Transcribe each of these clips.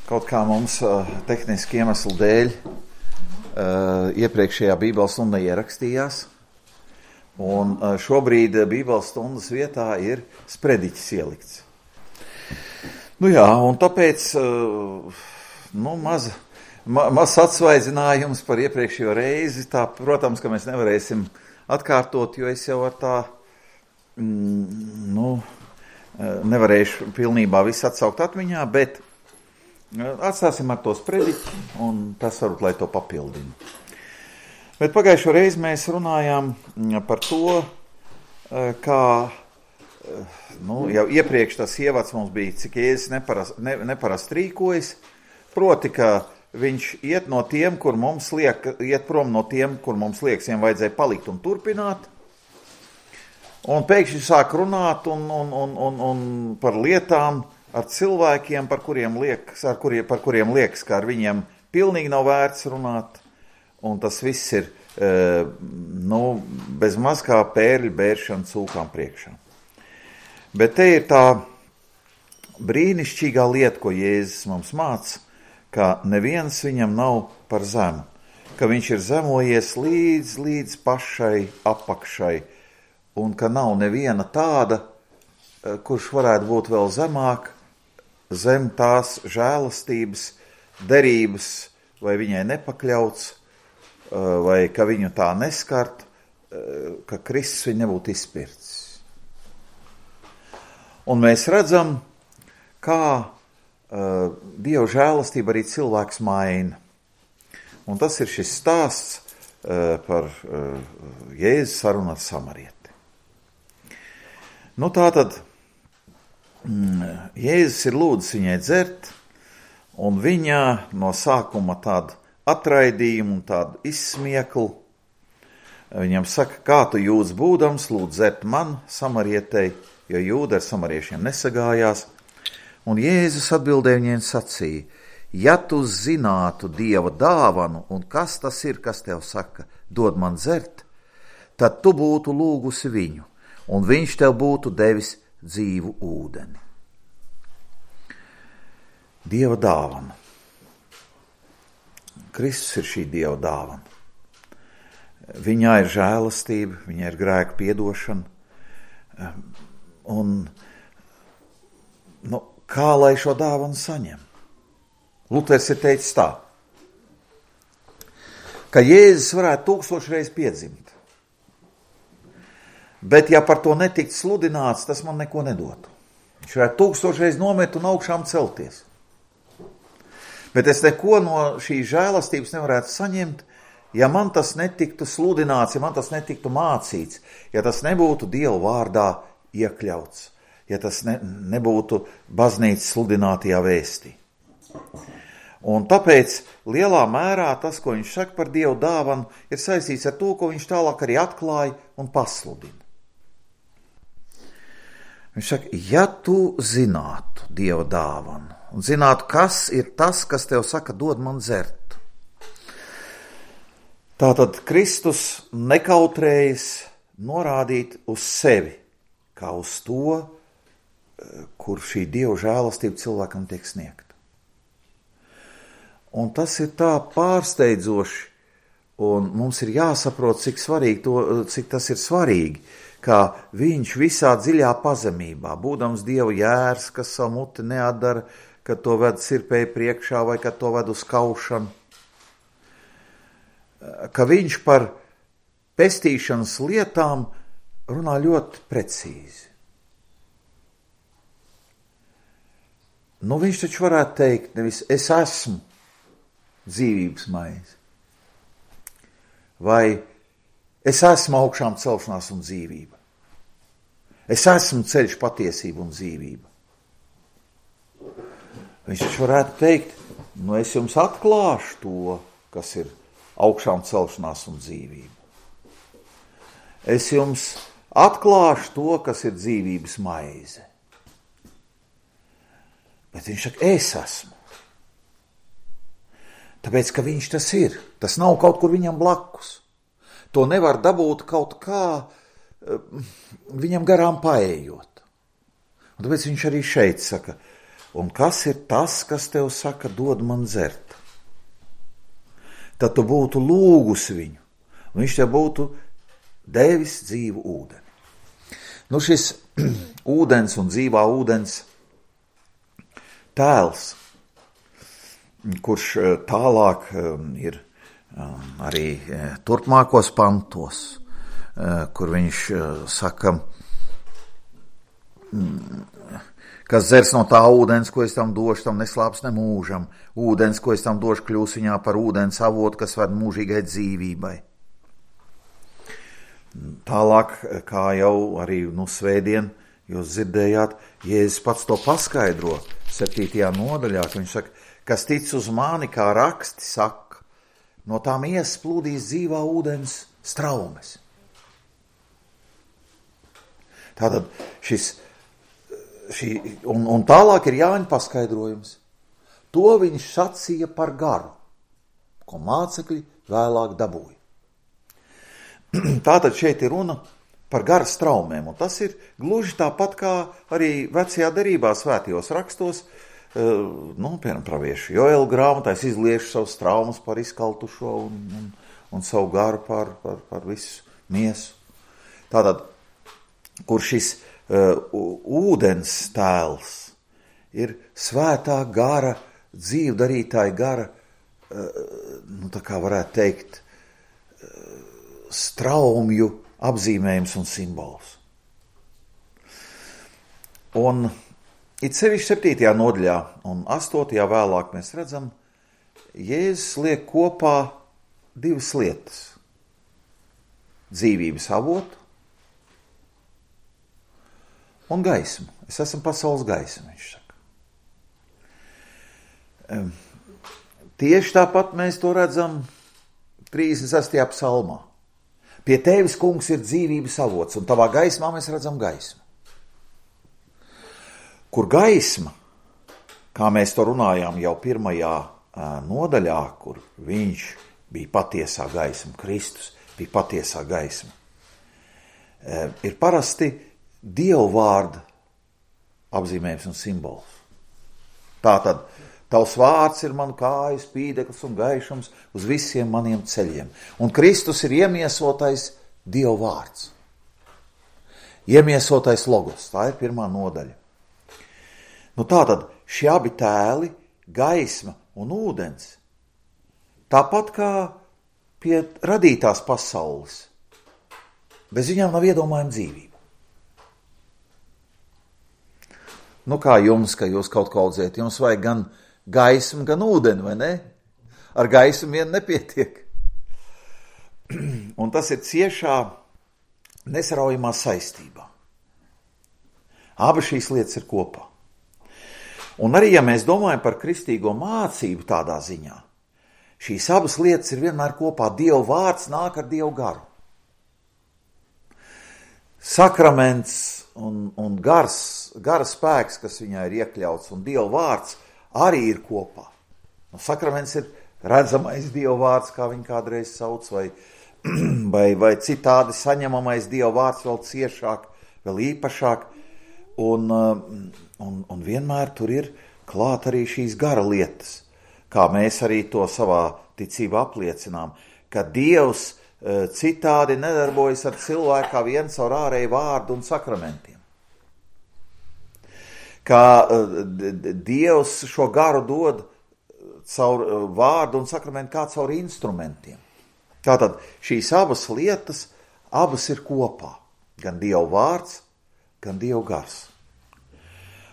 Kaut kā mums tehniski iemeslu dēļ iepriekšējā Bībeles stunda ierakstījās, un šobrīd Bībeles stundas vietā ir sprediķis ielikts. Un tāpēc maz atsvaidzinājums par iepriekšējo reizi. Tā, protams, ka mēs nevarēsim atkārtot, jo es jau ar tā nevarēšu pilnībā visu atsaukt atmiņā, bet atstāsim ar to sprediķi, un tas varbūt, lai to papildina. Bet pagājušo reizi mēs runājām par to, kā, jau iepriekš tas ievads mums bija, cik Jēzus neparasti rīkojas, proti, ka viņš iet no tiem, kur mums iet prom no tiem, kur mums liekas, viņiem vajadzēja palikt un turpināt, un pēkšņi sāk runāt un par lietām, ar cilvēkiem, par kuriem liekas, ka ar viņiem pilnīgi nav vērts runāt, un tas viss ir bez maz kā pērļu bēršana cūkām priekšā. Bet te ir tā brīnišķīgā lieta, ko Jēzus mums māca, ka neviens viņam nav par zemu, ka viņš ir zemojies līdz pašai apakšai, un ka nav neviena tāda, kurš varētu būt vēl zemāk, zem tās žēlastības, derības, vai viņai nepakļauts, vai ka viņu tā neskart, ka Kristus viņu nebūtu izpircis. Un mēs redzam, kā Dieva žēlastība arī cilvēks maina. Un tas ir šis stāsts par Jēzus sarunu ar samarieti. Tātad Jēzus ir lūdzis viņai dzert, un viņa no sākuma tādu atraidījumu un tādu izsmieklu. Viņam saka, kā tu jūdz būdams, lūdz dzert man, samarietei, jo jūda ar samariešiem nesagājās. Un Jēzus atbildēja viņai sacīja, ja tu zinātu Dieva dāvanu, un kas tas ir, kas tev saka, dod man dzert, tad tu būtu lūgusi viņu, un viņš tev būtu devis dzīvu ūdeni. Dieva dāvana. Kristus ir šī Dieva dāvana. Viņā ir žēlastība, viņā ir grēku piedošana. Un kā lai šo dāvanu saņem? Luters ir teicis tā, ka Jēzus varētu 1000 reizes piedzimt. Bet ja par to netikt sludināts, tas man neko nedotu. Viņš varētu 1000 reizes nomirt un augšām celties. Bet es neko no šīs žēlastības nevarētu saņemt, ja man tas netiktu sludināts, ja man tas netiktu mācīts, ja tas nebūtu Dieva vārdā iekļauts, ja tas nebūtu baznīcas sludinātajā vēstī. Un tāpēc lielā mērā tas, ko viņš saka par Dieva dāvanu, ir saistīts ar to, ko viņš tālāk arī atklāja un pasludina. Viņš saka, ja tu zinātu Dieva dāvanu un zinātu, kas ir tas, kas tev saka, dod man dzert. Tātad Kristus nekautrējas norādīt uz sevi, kā uz to, kur šī Dieva žēlastība cilvēkam tiek sniegta. Un tas ir tā pārsteidzoši, un mums ir jāsaprot, cik tas ir svarīgi, kā viņš visā dziļā pazemībā, būdams Dieva jērs, kas savu muti neatdara, kad to ved sirpēji priekšā vai kad to ved uz kaušanu, ka viņš par pestīšanas lietām runā ļoti precīzi. Viņš taču varētu teikt, nevis es esmu dzīvības maize, vai es esmu augšām celšanās un dzīvība. Es esmu ceļš, patiesība un dzīvība. Viņš taču varētu teikt, es jums atklāšu to, kas ir augšām celšanās un dzīvība. Es jums atklāšu to, kas ir dzīvības maize. Bet viņš saka, es esmu. Tāpēc, ka viņš tas ir. Tas nav kaut kur viņam blakus. To nevar dabūt kaut kā viņam garām paējot. Un tāpēc viņš arī šeit saka, un kas ir tas, kas tev saka, dod man dzert? Tad tu būtu lūgus viņu, un viņš tev būtu devis dzīvu ūdeni. Nu šis ūdens un dzīvā ūdens tēls, kurš tālāk ir arī turpmākos pantos, kur viņš saka, kas dzers no tā ūdens, ko es tam došu, tam neslāps ne mūžam. Ūdens, ko es tam došu, kļūs viņā par ūdens avotu, kas ved mūžīgai dzīvībai. Tālāk, kā jau arī svētdien jūs dzirdējāt, Jēzus pats to paskaidro 7. nodaļā, ka viņš saka, kas tic uz mani, kā raksti saka, no tām iesplūdīs dzīvā ūdens straumes. Tātad un tālāk ir Jāņa paskaidrojums. To viņš sacīja par garu, ko mācekļi vēlāk dabūja. Tātad šeit ir runa par gara straumēm, un tas ir gluži tāpat kā arī vecajā derībā svētajos rakstos, piemēram, praviešu Joela grāmatā, es izliešu savus traumas par izkaltušo un savu garu par visu miesu. Tātad, kur šis ūdens tēls ir svētā gara, dzīvdarītāja gara, tā kā varētu teikt, straumju apzīmējums un simbols. Un it sevišķi 7. nodaļā un 8. vēlāk mēs redzam, Jēzus liek kopā divas lietas. Dzīvības avotu un gaismu. Es esmu pasaules gaisma, viņš saka. Tieši tāpat mēs to redzam 36. psalmā. Pie tevis, kungs, ir dzīvības avots, un tavā gaismā mēs redzam gaismu. Kur gaisma, kā mēs to runājām jau 1. nodaļā, kur viņš bija patiesā gaisma, Kristus bija patiesā gaisma, ir parasti Dievu vārda apzīmējums un simbols. Tātad, tavs vārds ir man kāju spīdeklis un gaišums uz visiem maniem ceļiem. Un Kristus ir iemiesotais Dievu vārds. Iemiesotais logos, tā ir 1. nodaļa. Tātad, šie abi tēli, gaisma un ūdens, tāpat kā pie radītās pasaules, bez viņām nav iedomājama dzīvība. Kā jums, ka jūs kaut ko audzēt, jums vajag gan gaismu, gan ūdeni, vai ne? Ar gaismu vien nepietiek. Un tas ir ciešā, nesaraujamā saistībā. Abas šīs lietas ir kopā. Un arī, ja mēs domājam par kristīgo mācību tādā ziņā, šīs abas lietas ir vienmēr kopā. Dieva vārds nāk ar Dievu garu. Sakraments un gara spēks, kas viņā ir iekļauts, un Dieva vārds arī ir kopā. Sakraments ir redzamais Dieva vārds, kā viņi kādreiz sauc, vai citādi saņemamais Dieva vārds vēl ciešāk, vēl īpašāk, un vienmēr tur ir klāt arī šīs gara lietas, kā mēs arī to savā ticībā apliecinām, ka Dievs citādi nedarbojas ar cilvēku kā viens caur ārēju vārdu un sakramentiem. Kā Dievs šo garu dod caur vārdu un sakramentu kā caur instrumentiem. Tātad šīs abas lietas, abas ir kopā. Gan Dieva vārds, gan Dieva gars.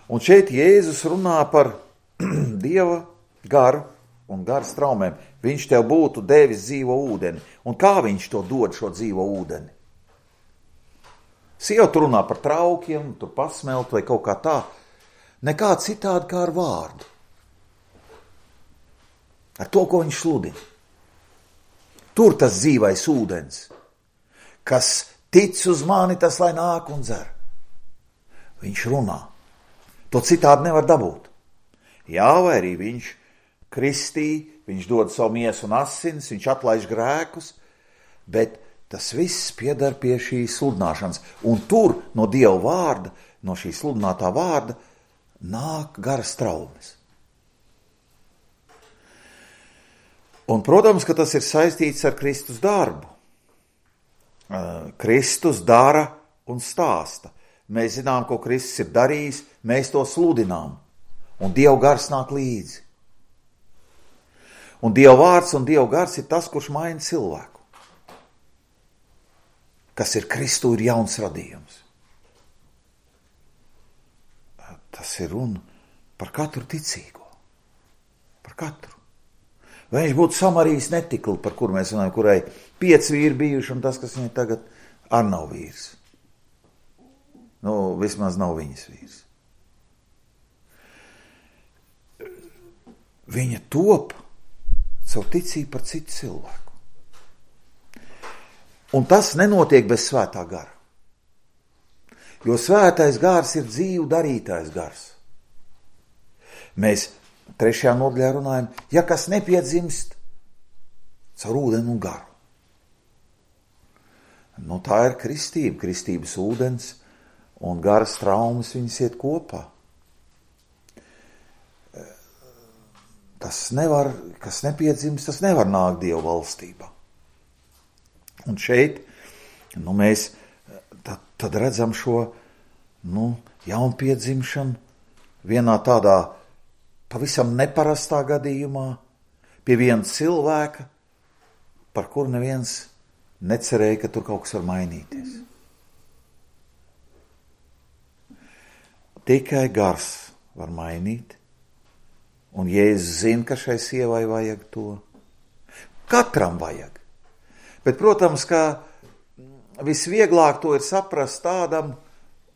Un šeit Jēzus runā par Dieva garu un gara straumēm. Viņš tev būtu devis dzīvo ūdeni. Un kā viņš to dod, šo dzīvo ūdeni? Sieva tur runā par traukiem, tur pasmelt vai kaut kā tā. Nekā citādi kā ar vārdu. Ar to, ko viņš sludina. Tur tas dzīvais ūdens, kas tic uz mani, tas lai nāk un dzer. Viņš runā. To citādi nevar dabūt. Jā, vai arī viņš kristī, viņš dod savu miesu un asins, viņš atlaiž grēkus, bet tas viss piedar pie šīs sludināšanas. Un tur no Dieva vārda, no šī sludinātā vārda, nāk garas traumas. Un, protams, ka tas ir saistīts ar Kristus darbu. Kristus dara un stāsta. Mēs zinām, ko Kristus ir darījis, mēs to sludinām. Un Dieva gars nāk līdzi. Un Dieva vārds un Dieva gars ir tas, kurš maina cilvēku. Kas ir Kristu, ir jauns radījums. Tas ir runa par katru ticīgo. Par katru. Vai viņš būtu Samarijas netikli, par kuru mēs runājam, kurai 5 vīri bijuši, un tas, kas viņai tagad ar nav vīrs. Nu, vismaz nav viņas vīrs. Viņa top savu ticību par citu cilvēku. Un tas nenotiek bez svētā gara. Jo svētais gars ir dzīvu darītājs gars. Mēs 3. nodaļā runājam, ja kas nepiedzimst caur ūdeni un garu. Nu, tā ir kristība, kristības ūdens un garas traumas viņas iet kopā. Tas nevar, kas nepiedzimst, tas nevar nākt Dieva valstībā. Un šeit, nu, mēs tad redzam šo, nu, jaunpiedzimšanu vienā tādā pavisam neparastā gadījumā pie viena cilvēka, par kuru neviens necerēja, ka tur kaut kas var mainīties. Tikai gars var mainīt, un Jēzus zina, ka šai sievai vajag to. Katram vajag. Bet, protams, ka visvieglāk to ir saprast tādam,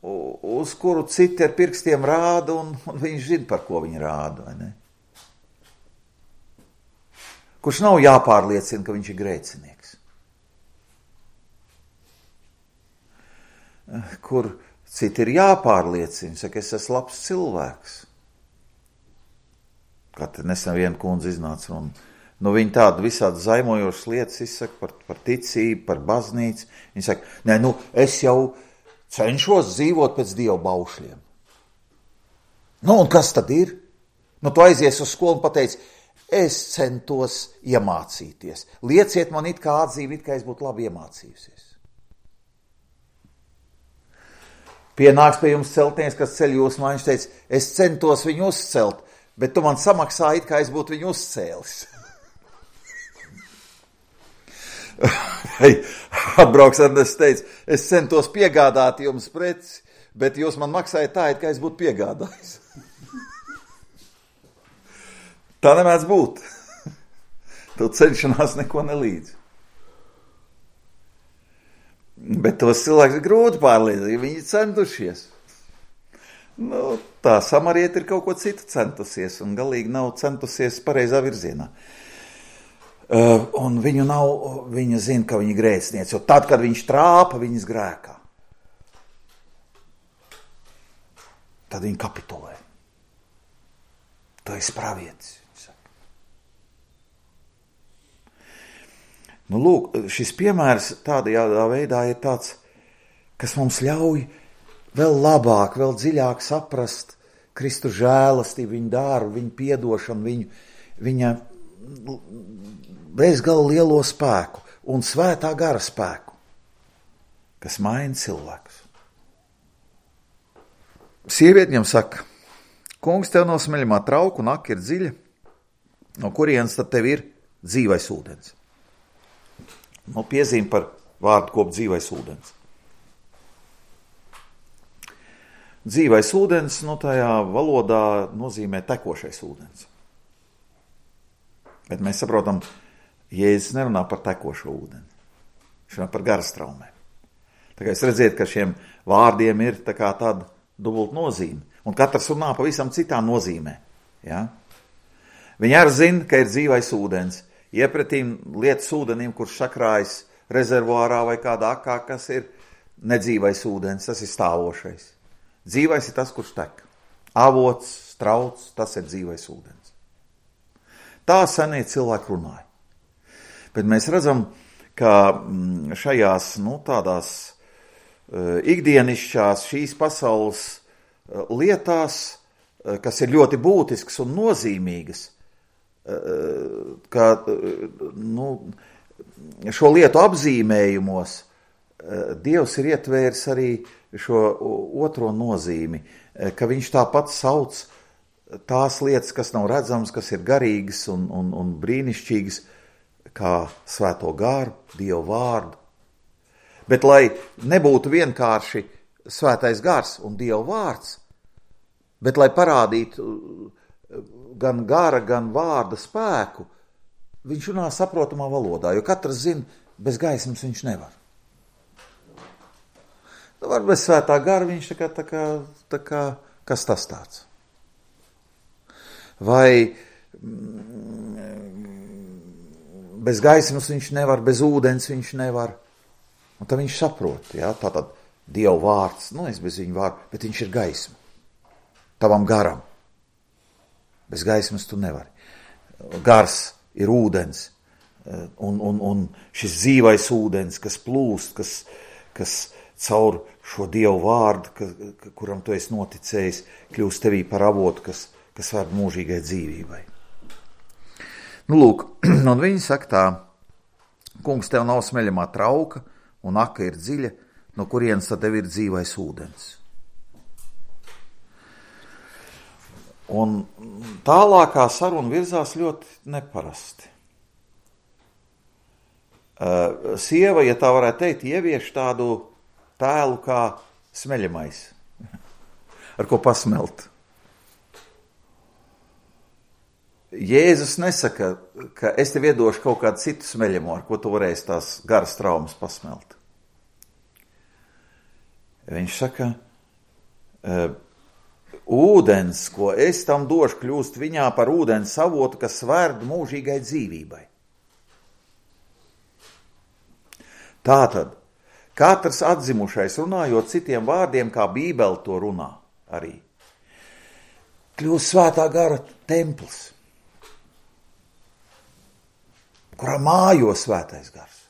uz kuru citi ar pirkstiem rāda, un viņš zina, par ko viņi rāda, vai ne? Kurš nav jāpārliecina, ka viņš ir grēcinieks. Kur citi ir jāpārliecina, saka, es esmu labs cilvēks. Kā te nesen viena kundze iznāca, un viņa tādu visādi zaimojošas lietas izsaka par ticību, par baznīcu. Viņa saka, nē, es jau cenšos dzīvot pēc Dieva baušļiem. Nu, un kas tad ir? Nu, tu aizies uz skolu un pateici, es centos iemācīties. Lieciet man it kā atzīmi, it kā es būtu labi iemācījusies. Pienāks pie jums celtnieks, kas ceļ jūs man, viņš teica, es centos viņu uzcelt, bet tu man samaksāji, it kā es būtu viņu uzcēlis. Atbrauks Ernests teica, es centos piegādāt jums preci, bet jūs man maksājat tā, it kā es būtu piegādājis. Tā nemēdz būt. Tu cenšanās neko nelīdz. Bet tos cilvēks ir grūti pārliecināt, ja viņi centušies. Nu, tā samarieta ir kaut ko citu centusies un galīgi nav centusies pareizā virzienā. Un viņa zina, ka viņa grēciniec, jo tad, kad viņš trāpa viņas grēkā, tad viņa kapitulē. Tu esi pravietis. Nu, lūk, šis piemērs tādā veidā ir tāds, kas mums ļauj vēl labāk, vēl dziļāk saprast Kristu žēlastību, viņa darbu, viņa piedošanu, viņa bezgalīgi lielo spēku un svētā gara spēku, kas maina cilvēkus. Sieviete viņam saka, kungs, tev no smeļamā trauka un aka ir dziļa, no kurienes tad tev ir dzīvais ūdens. Nu, piezīme par vārdu kopu dzīvais ūdens. Dzīvais ūdens, tajā valodā nozīmē tekošais ūdens. Bet mēs saprotam, Jēzus nerunā par tekošo ūdeni. Viņš runā par garas traumēm. Tā kā jūs redziet, ka šiem vārdiem ir tā kā tāda dubult nozīme. Un katrs runā pavisam citā nozīmē. Ja? Viņi arī zina, ka ir dzīvais ūdens. Iepretīm lietas ūdenim, kurš sakrājas rezervuārā vai kādā akā, kas ir nedzīvais ūdens, tas ir stāvošais. Dzīvais ir tas, kurš tek. Avots, strauts, tas ir dzīvais ūdens. Tā senie cilvēki runāja. Bet mēs redzam, ka šajās, tādās ikdienišķās šīs pasaules lietās kas ir ļoti būtisks un nozīmīgas, ka šo lietu apzīmējumos Dievs ir ietvērs arī šo otro nozīmi, ka viņš tāpat sauc tās lietas, kas nav redzamas, kas ir garīgas un brīnišķīgas, kā svēto garu, Dievu vārdu. Bet lai nebūtu vienkārši svētais gars un Dieva vārds, bet lai parādītu gan gara, gan vārda spēku, viņš runā saprotamā valodā, jo katrs zina, bez gaismas viņš nevar. Var bez svētā gara viņš tā kā kas tas tāds. Vai bez gaismas viņš nevar, bez ūdens viņš nevar. Un tad viņš saprot, ja, tātad Dieva vārds, es bez viņa vārdu, bet viņš ir gaisma. Tavam garam. Bez gaismas tu nevari. Gars ir ūdens, un šis dzīvais ūdens, kas plūst, kas caur šo Dievu vārdu, kuram tu esi noticējis, kļūst tevī par avotu, kas vēd mūžīgai dzīvībai. Lūk, un viņi saka tā, kungs, tev nav smeļamā trauka, un aka ir dziļa, no kurienes tad tev ir dzīvais ūdens. Un tālākā saruna virzās ļoti neparasti. Sieva, ja tā varētu teikt, ievieš tādu tēlu kā smeļamais, ar ko pasmelt. Jēzus nesaka, ka es tev iedošu kaut kādu citu smeļamo, ar ko tu varēsi tās garas traumas pasmelt. Viņš saka, ūdens, ko es tam došu, kļūst viņā par ūdens avotu, kas svērd mūžīgai dzīvībai. Tātad, katrs atzimušais runājot citiem vārdiem, kā Bībele to runā arī, kļūst svētā gara templis, kurā mājo svētais gars.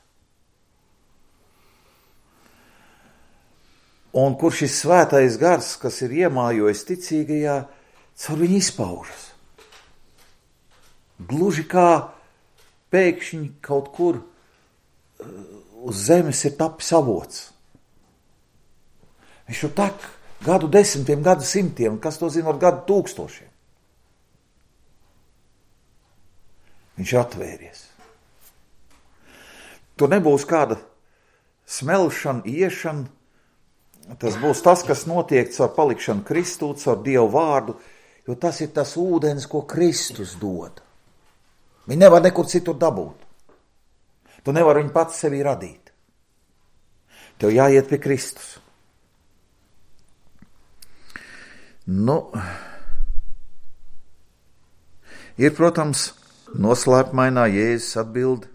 Un kur šis svētais gars, kas ir iemājojis ticīgajā, caur viņu izpaužas. Gluži kā pēkšņi kaut kur uz zemes ir tapis avots. Viņš jau tek gadu desmitiem, gadu simtiem, kas to zina ar gadu tūkstošiem. Viņš ir atvēries. Tur nebūs kāda smelšana, iešana, tas būs tas, kas notiek caur palikšanu Kristū, caur Dievu vārdu, jo tas ir tas ūdens, ko Kristus dod. Viņi nevar nekur citur dabūt. Tu nevari viņu pats sevī radīt. Tev jāiet pie Kristus. Ir, protams, noslēpmainā Jēzus atbildi,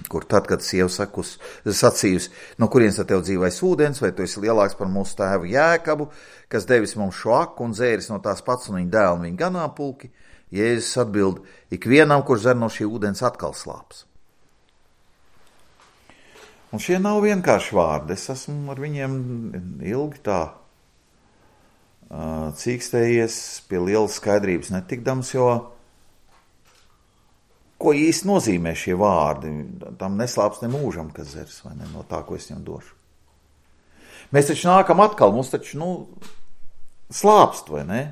kur tad, kad sieva sacījusi, no kurienes tad tev dzīvais ūdens, vai tu esi lielāks par mūsu tēvu Jēkabu, kas devis mums šo aku un dzēris no tās pats un viņa dēlu un viņa ganāmpulki, Jēzus atbild, ikvienam, kurš dzer no šī ūdens, atkal slāps. Un šie nav vienkārši vārdi, es esmu ar viņiem ilgi tā cīkstējies pie lielas skaidrības netikdams, jo ko īsti nozīmē šie vārdi? Tam neslāps ne mūžam, kas dzers, vai ne, no tā, ko es viņam došu. Mēs taču nākam atkal, mums taču, slāpst, vai ne?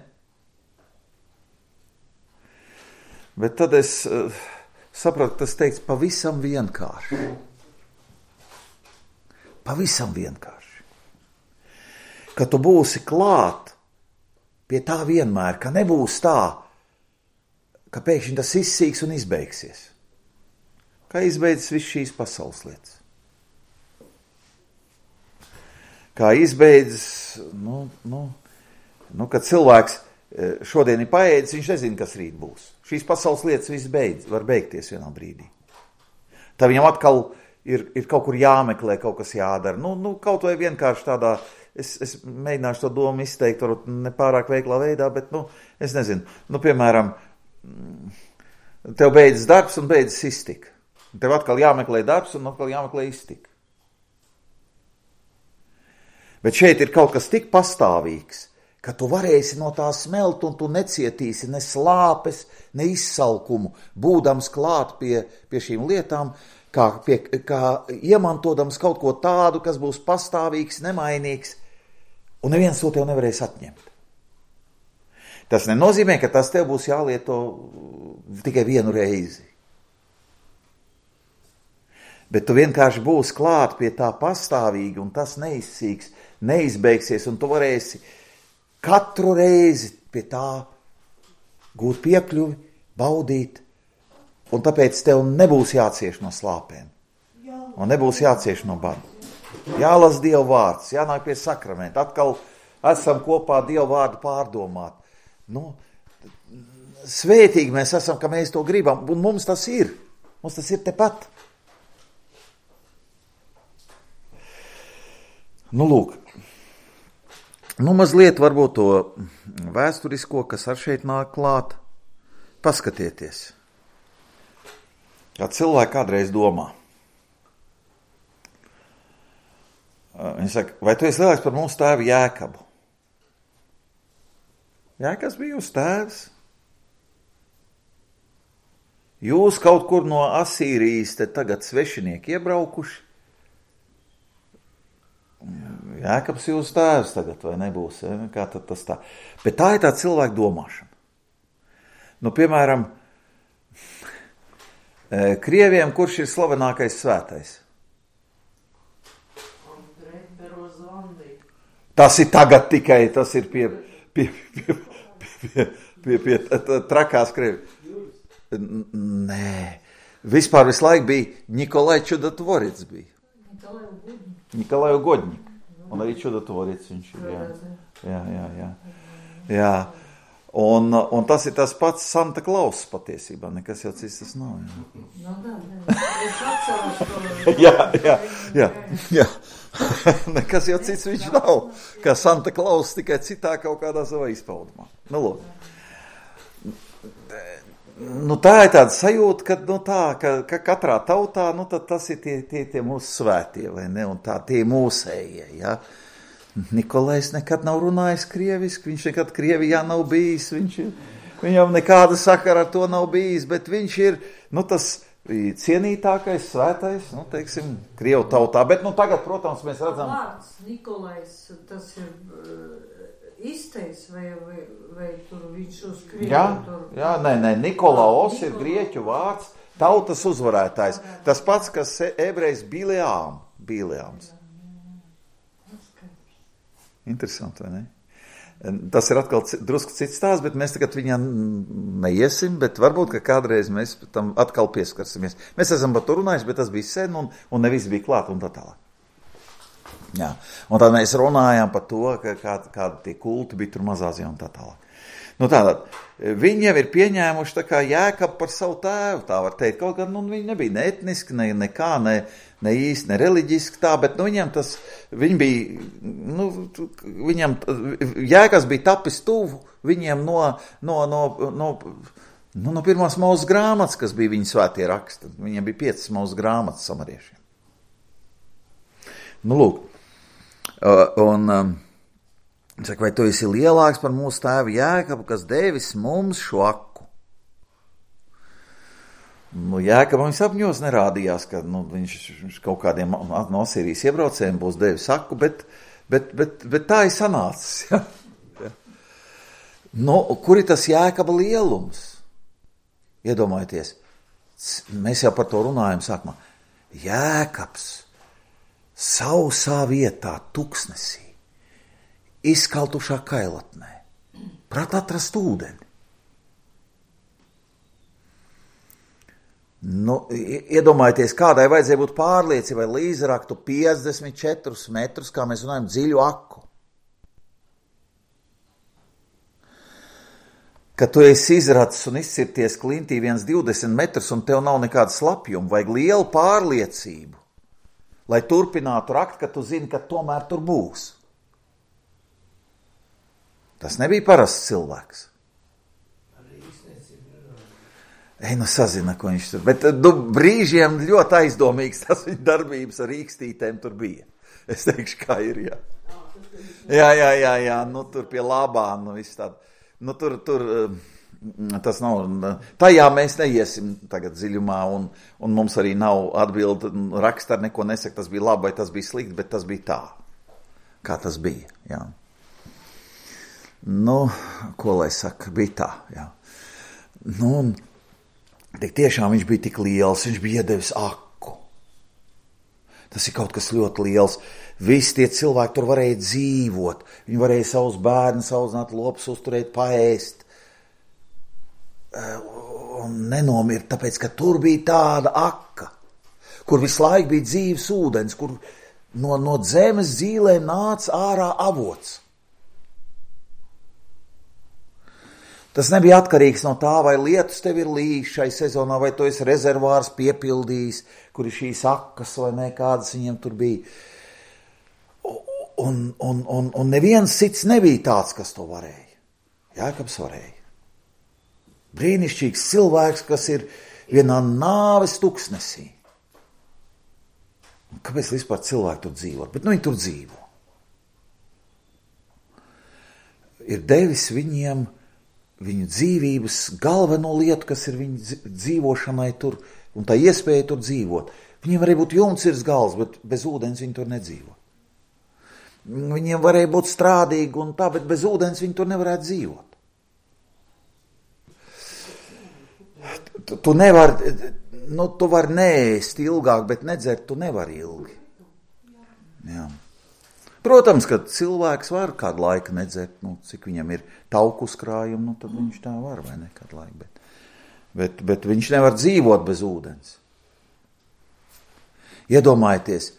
Bet tad es sapratu, tas teikts pavisam vienkārši. Pavisam vienkārši. Ka tu būsi klāt pie tā vienmēr, ka nebūs tā, ka pēkšņi tas izsīks un izbeigsies. Kā izbeidzas viss šīs pasaules lietas. Kā izbeidzas, kad cilvēks šodien ir paēdis, viņš nezina, kas rīt būs. Šīs pasaules lietas viss var beigties vienā brīdī. Tā viņam atkal ir kaut kur jāmeklē, kaut kas jādara. Kaut vai vienkārši tādā, es mēģināšu to domu izteikt, varbūt nepārāk veiklā veidā, bet, es nezinu, piemēram, tev beidzas darbs un beidzas iztika. Tev atkal jāmeklē darbs un atkal jāmeklē iztika. Bet šeit ir kaut kas tik pastāvīgs, ka tu varēsi no tā smelt un tu necietīsi ne slāpes, ne izsalkumu, būdams klāt pie šīm lietām, kā iemantodams kaut ko tādu, kas būs pastāvīgs, nemainīgs, un neviens to tev nevarēs atņemt. Tas nenozīmē, ka tas tev būs jālieto tikai vienu reizi. Bet tu vienkārši būsi klāt pie tā pastāvīgi, un tas neizsīks, neizbeigsies, un tu varēsi katru reizi pie tā gūt piekļuvi, baudīt, un tāpēc tev nebūs jācieš no slāpēm, un nebūs jācieš no bada. Jālas Dieva vārds, jānāk pie sakramenta, atkal esam kopā Dieva vārdu pārdomāt. Svētīgi mēs esam, ka mēs to gribam, un mums tas ir tepat. Lūk, mazliet varbūt to vēsturisko, kas ar šeit nāk klāt, paskatieties. Kā cilvēki kādreiz domā. Viņi saka, vai tu esi lielāks par mūsu tēvu Jēkabu? Jēkabs bija jūsu tēvs. Jūs kaut kur no Asīrijas te tagad svešinieki iebraukuši. Jēkabs jūsu tēvs tagad, vai nebūs? Ja? Kā tad tas tā? Bet tā ir tā cilvēka domāšana. Piemēram, Krieviem, kurš ir slavenākais svētais? Tas ir tagad tikai, tas ir pie trakās Krievi. Nē, vispār visu laiku bija Nikolai Čudatvorits bija. Nikolai Godņik. Un arī Čudatvorits viņš ir. Jā. Un tas ir tas pats Santa Klaus patiesībā, nekas jau cits tas nav. Jā. Nekas jau cits viņš nav, kā Santa Klaus, tikai citā kaut kādā savā izpaudumā. Tā ir tāda sajūta, ka katrā tautā, tad tas ir tie mūsu svētie, vai ne, un tie mūsējie, ja. Nikolais nekad nav runājis krieviski, viņš nekad Krievijā nav bijis, viņam nekāda sakara ar to nav bijis, bet viņš ir, tas cienītākais, svētais, teiksim, Krievu tautā, bet tagad, protams, mēs redzam... Vārds Nikolais, tas ir izteiks, vai tur viņš uz Krievu? Jā, nē, Nikolaos ir grieķu vārds, tautas uzvarētājs, tas pats, kas ebrejs Bileāms. Interesanti, vai ne? Tas ir atkal drusku cits stāsts, bet mēs tagad viņā neiesim, bet varbūt, ka kādreiz mēs tam atkal pieskarsimies. Mēs esam par to runājuši, bet tas bija sen un nevis bija klāt un tā tālāk. Jā, un tad mēs runājām par to, kādi tie kulti bija tur Mazāzijā un tā tālāk. Tātad, viņi jau ir pieņēmuši tā kā Jēkabu par savu tēvu, tā var teikt, kaut gan viņi nebija ne etniski, nekā, ne īsti, ne reliģiski tā, bet viņam tas, viņi bija, viņam, Jēkabs bija tapis tuvu viņiem no pirmās Mūzes grāmatas, kas bija viņa svētie raksti. Viņiem bija 5 Mūzes grāmatas samariešiem. Lūk, saka, vai tu esi lielāks par mūsu tēvu Jēkabu, kas devis mums šo aku? Jēkabam sapņos nerādījās, ka viņš kaut kādiem no Asīrijas iebraucējiem būs devis aku, bet tā ir sanācis. Ja? Kur ir tas Jēkaba lielums? Iedomājieties, mēs jau par to runājam sākumā. Jēkabs sausā vietā, tuksnesī, izkaltušā kailatnē, prāt atrast ūdeni. Iedomājieties, kādai vajadzēja būt pārliecībai, lai izraktu 54 metrus, kā mēs runājam, dziļu aku. Kad tu esi izracis un izcirties klintī 1,20 metrus un tev nav nekāda slapjuma, vajag lielu pārliecību, lai turpinātu rakt, ka tu zini, ka tomēr tur būs. Tas nebija parasts cilvēks. Sazina, ko viņš tur. Bet brīžiem ļoti aizdomīgs tas viņa darbības ar rīkstītēm tur bija. Es teikšu, kā ir, jā. Jā, nu tur pie labā, nu viss tāda. Nu tur, tas nav, tajā mēs neiesim tagad dziļumā, un mums arī nav atbildi, raksta ar neko nesaka, tas bija labi vai tas bija slikti, bet tas bija tā, kā tas bija, jā. Nu, ko lai saka, bija tā, jā. Nu, tik tiešām viņš bija tik liels, viņš bija iedevis aku. Tas ir kaut kas ļoti liels. Visi tie cilvēki tur varēja dzīvot. Viņi varēja savus bērnus audzināt, lopus uzturēt, paēst. Un nenomirt, tāpēc, ka tur bija tāda aka, kur visu laiku bija dzīves ūdens, kur no zemes zīlēm nāca ārā avots. Tas nebija atkarīgs no tā, vai lietus tev ir līs šai sezonā, vai tu esi rezervārs piepildījis, kur ir šīs akas vai ne, kādas viņiem tur bija. Un neviens cits nebija tāds, kas to varēja. Jākabs varēja. Brīnišķīgs cilvēks, kas ir vienā nāves tuksnesī. Kāpēc vispār cilvēki tur dzīvot? Bet viņi tur dzīvo. Ir devis viņiem viņu dzīvības galveno lietu, kas ir viņu dzīvošanai tur, un tā iespēja tur dzīvot. Viņiem varēja būt jumts virs galvas, bet bez ūdens viņi tur nedzīvo. Viņiem varēja būt strādīgi un tā, bet bez ūdens viņi tur nevarētu dzīvot. Tu nevari, tu vari neēst ilgāk, bet nedzert tu nevari ilgi. Jā. Protams, ka cilvēks var kādu laiku nedzert, cik viņam ir tauku uzkrājumi, tad viņš tā var, vai ne, kādu laiku. Bet viņš nevar dzīvot bez ūdens. Iedomājieties,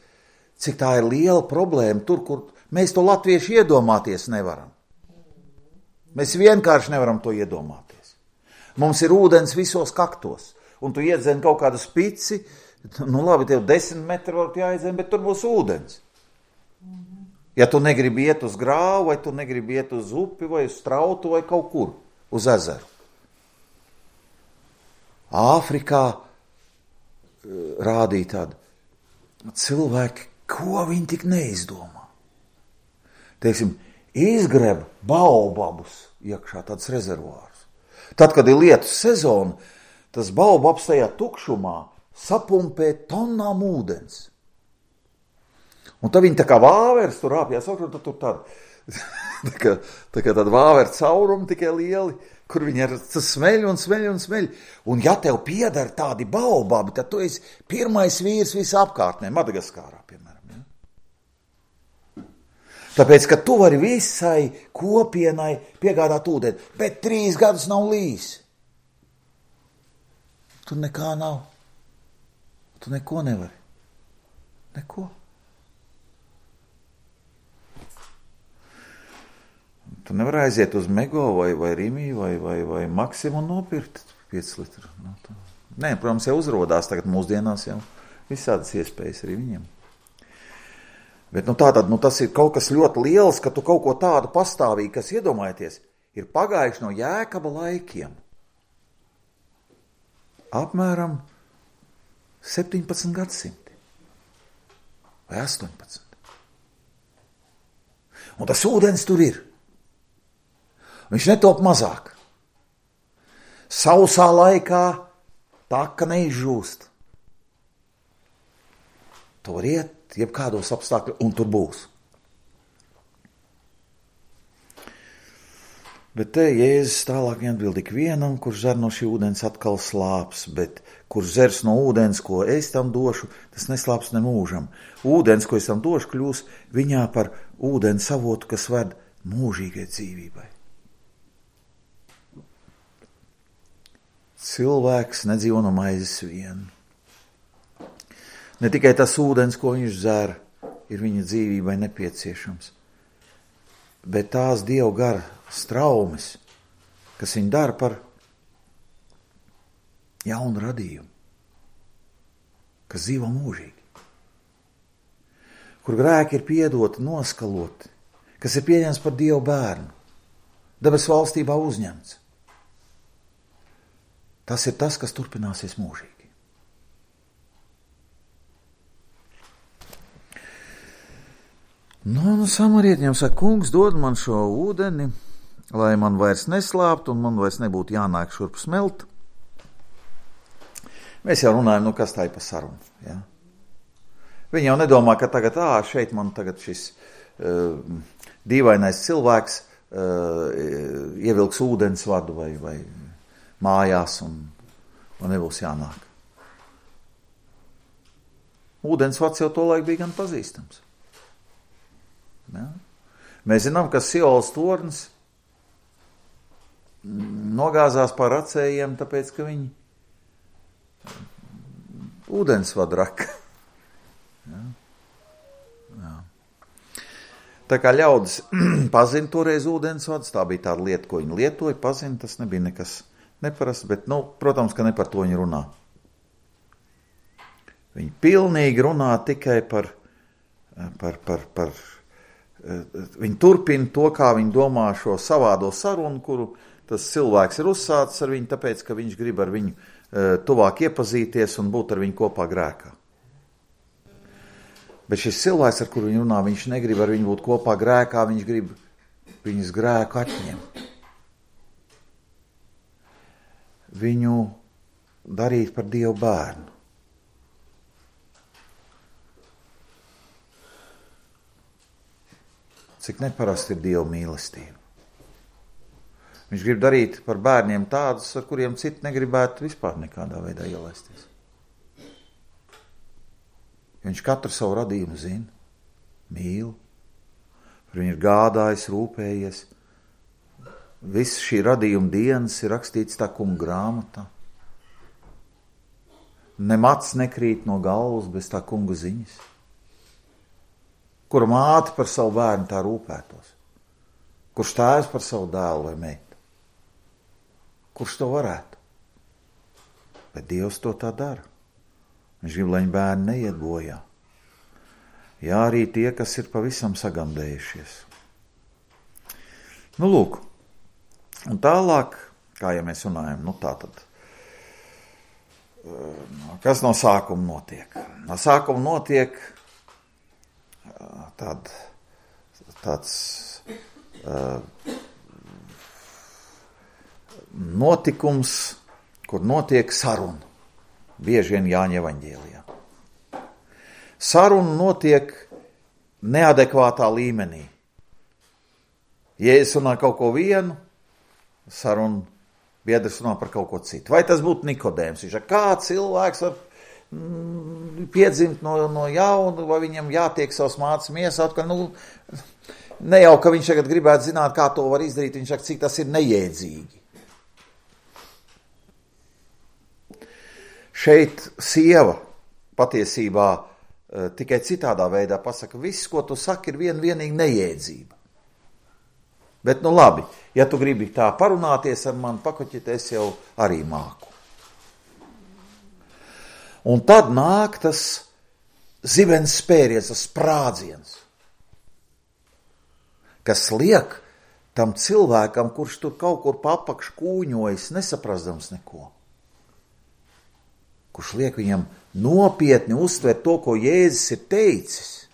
cik tā ir liela problēma tur, kur mēs to latvieši iedomāties nevaram. Mēs vienkārši nevaram to iedomāties. Mums ir ūdens visos kaktos, un tu iedzen kaut kādu spici, labi, tev 10 metri varbūt jāiedzen, bet tur būs ūdens. Ja tu negribi iet uz grāvu, vai tu negribi iet uz upi, vai uz strautu, vai kaut kur, uz ezeru. Āfrikā rādīja tādu cilvēki, ko viņi tik neizdomā. Teiksim, izgreb baobabus iekšā tāds rezervārs. Tad, kad ir lietus sezona, tas baobabs tajā tukšumā sapumpē tonnām ūdens. Un tad viņi tā kā vāveres tur rāpjās augšā, un tad tur tāda tāda vāveru caurumi tikai lieli, kur viņi ar smeļ un smeļ un smeļ. Un ja tev piedara tādi baobabi, tad tu esi pirmais vīrs visā apkārtnē, Madagaskārā, piemēram. Ja? Tāpēc, ka tu vari visai kopienai piegādāt ūdeni, bet 3 gadus nav līs. Tur nekā nav. Tu neko nevari. Neko. Tu nevar aiziet uz Mego vai Rimi vai Maksimu un nopirkt 5 litru. Nē, protams, jau uzrodās tagad mūsdienās jau visādas iespējas arī viņiem. Bet tātad, tas ir kaut kas ļoti liels, ka tu kaut ko tādu pastāvīgi, kas iedomājieties, ir pagājuši no Jēkaba laikiem. Apmēram 17 gadsimti. Vai 18. Un tas ūdens tur ir. Viņš netop mazāk. Sausā laikā taka neizžūst. Tu var iet jebkādos apstākļos, un tur būs. Bet te Jēzus tālāk atbild ikvienam, kurš dzer no šī ūdens atkal slāps, bet kurš dzers no ūdens, ko es tam došu, tas neslāps ne mūžam. Ūdens, ko es tam došu, kļūs viņā par ūdens avotu, kas ved mūžīgai dzīvībai. Cilvēks nedzīvo no maizes vien. Ne tikai tas ūdens, ko viņš dzer, ir viņa dzīvībai nepieciešams, bet tās Dieva gara straumes, kas viņu dara par jaunu radījumu, kas dzīvo mūžīgi, kur grēki ir piedoti, noskaloti, kas ir pieņemts par Dieva bērnu, debesu valstībā uzņemts. Tas ir tas, kas turpināsies mūžīgi. Nu, samarietņiem saka, kungs, dod man šo ūdeni, lai man vairs neslāpt un man vairs nebūtu jānāk šurp smelt. Mēs jau runājam, kas tā ir pa sarunu. Ja? Viņi jau nedomā, ka tagad, šeit man tagad šis dīvainais cilvēks ievilks ūdens vadu vai mājās un nebūs jānāk. Ūdens vads jau to laiku bija gan pazīstams. Ja? Mēs zinām, ka Siolas tornis nogāzās pār acējiem, tāpēc, ka viņi ūdensvadu raka. Ja? Ja. Tā kā ļaudis pazina toreiz ūdensvadus, tā bija tāda lieta, ko viņi lietoja, pazina, tas nebija nekas neparasts, bet, protams, ka ne par to viņi runā. Viņi pilnīgi runā tikai par viņi turpina to, kā viņi domā šo savādo sarunu, kuru tas cilvēks ir uzsācis ar viņu, tāpēc, ka viņš grib ar viņu tuvāk iepazīties un būt ar viņu kopā grēkā. Bet šis cilvēks, ar kuru viņi runā, viņš negrib ar viņu būt kopā grēkā, viņš grib viņas grēku atņemt. Viņu darīt par Dievu bērnu. Cik neparasti ir Dieva mīlestība. Viņš grib darīt par bērniem tādus, ar kuriem citi negribētu vispār nekādā veidā ielaisties. Viņš katru savu radījumu zina, mīl, par viņu ir gādājis, rūpējies. Viss šī radījuma dienas ir rakstīts tā kunga grāmatā. Nemats nekrīt no galvas bez tā kunga ziņas. Kura māte par savu bērnu tā rūpētos? Kurš tēvs par savu dēlu vai meitu? Kurš to varētu? Bet Dievs to tā dara. Viņš grib, lai bērni neiet bojā. Jā, arī tie, kas ir pavisam sagandējušies. Lūk. Un tālāk, kā ja mēs runājam, tā tad, kas no sākuma notiek? No sākuma notiek tāds notikums, kur notiek saruna. Bieži vien Jāņa evaņģēlijā. Saruna notiek neadekvātā līmenī. Jēzus runā kaut ko vienu, saruna biedrs runā par kaut ko citu. Vai tas būtu Nikodēms? Viņš ir kā cilvēks var piedzimt no jauna, vai viņam jātiek savas mātes miesāt, ka ne jau, ka viņš tagad gribētu zināt, kā to var izdarīt, viņš saka, cik tas ir nejēdzīgi. Šeit sieva patiesībā tikai citādā veidā pasaka, viss, ko tu saki, ir vienīgi nejēdzība. Bet labi, ja tu gribi tā parunāties ar mani, pakoķīt, es jau arī māku. Un tad nāk tas zibens spēriens, tas sprādziens, kas liek tam cilvēkam, kurš tur kaut kur papakš kūņojas, nesaprastams neko. Kurš liek viņam nopietni uztvert to, ko Jēzus ir teicis.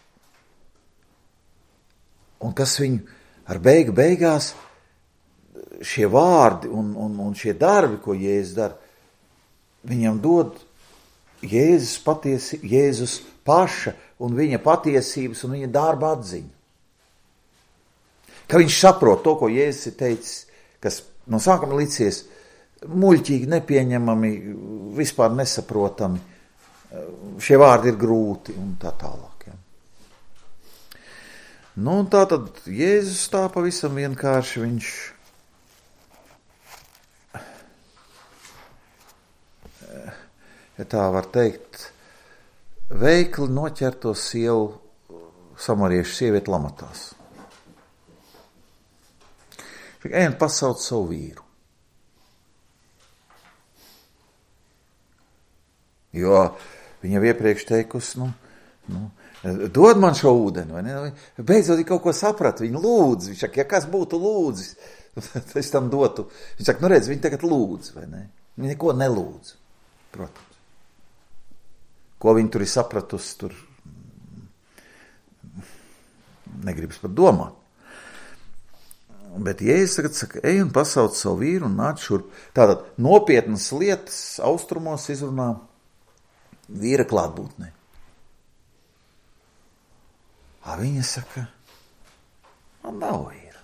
Un kas viņu ar beigās šie vārdi un šie darbi, ko Jēzus dara, viņam dod Jēzus paša un viņa patiesības un viņa darba atziņu. Ka viņš saprot to, ko Jēzus ir teicis, kas no sākuma licies muļķīgi, nepieņemami, vispār nesaprotami. Šie vārdi ir grūti un tā tālāk. Ja. Un tā tad Jēzus tā pavisam vienkārši viņš ja tā var teikt, veikli noķerto sievu samariešu sievieti lamatās. Ejam pasaukt savu vīru. Jo viņa iepriekš teikusi, dod man šo ūdeni, vai ne? Beidzot kaut ko saprat, viņa lūdz. Viņš saka, ja kas būtu lūdzis, es tam dotu. Viņš saka, redz, viņa tagad lūdz, vai ne? Viņa neko nelūdz, protams. Ko viņa tur ir sapratusi, tur negribas pat domāt. Bet Jēzus tagad saka, ej un pasauc savu vīru un nāc šurp. Tātad nopietnas lietas austrumos izrunā vīra klātbūtnē. Viņa saka, man nav vīra.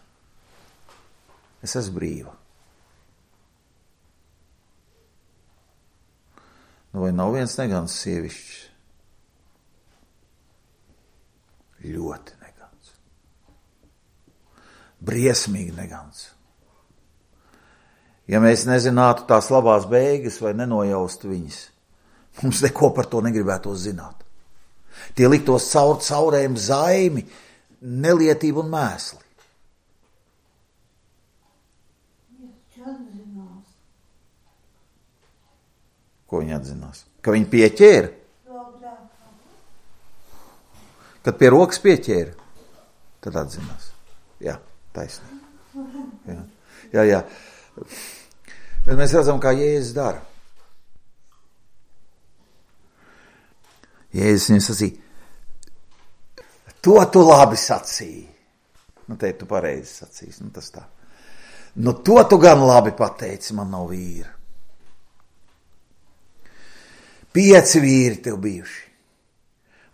Es esmu brīva. Vai nav viens negans sievišķis? Ļoti negans. Briesmīgi negans. Ja mēs nezinātu tās labās beigas vai nenojaustu viņas, mums neko par to negribētu zināt. Tie liktos caurējiem zaimi, nelietību un mēsli. Ko viņi atzinās? Ka viņi pieķēra? Kad pie rokas pieķēra, tad atzinās. Jā, taisnīgi. Jā. Bet mēs redzam, kā Jēzus dara. Jēzus viņam sacīja, to tu labi sacīji. Te tu pareizi sacīsi, tas tā. To tu gan labi pateici, man nav vīra. 5 vīri tev bijuši.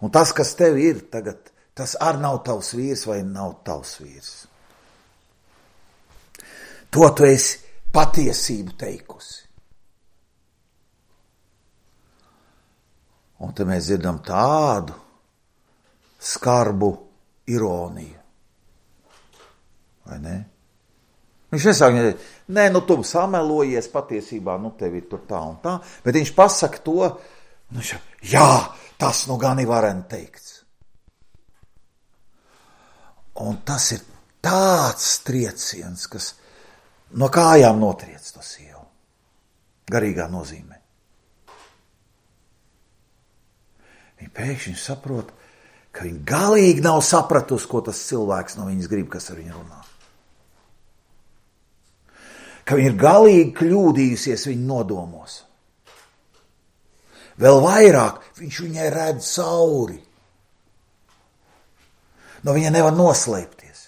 Un tas, kas tev ir tagad, tas arī nav tavs vīrs vai nav tavs vīrs. To tu esi patiesību teikusi. Un te mēs dzirdam tādu skarbu ironiju. Vai ne? Viņš nesaka, tu samelojies patiesībā, tev ir tur tā un tā, bet viņš pasaka to, jā, tas gan ir varen teikts. Un tas ir tāds trieciens, kas no kājām notriec to sievu. Garīgā nozīmē. Viņa pēkšņi saprot, ka viņa galīgi nav sapratusi, ko tas cilvēks no viņas grib, kas ar viņu runā. Ka viņa ir galīgi kļūdījusies viņa nodomos. Vēl vairāk viņš viņai redz cauri. No viņa nevar noslēpties.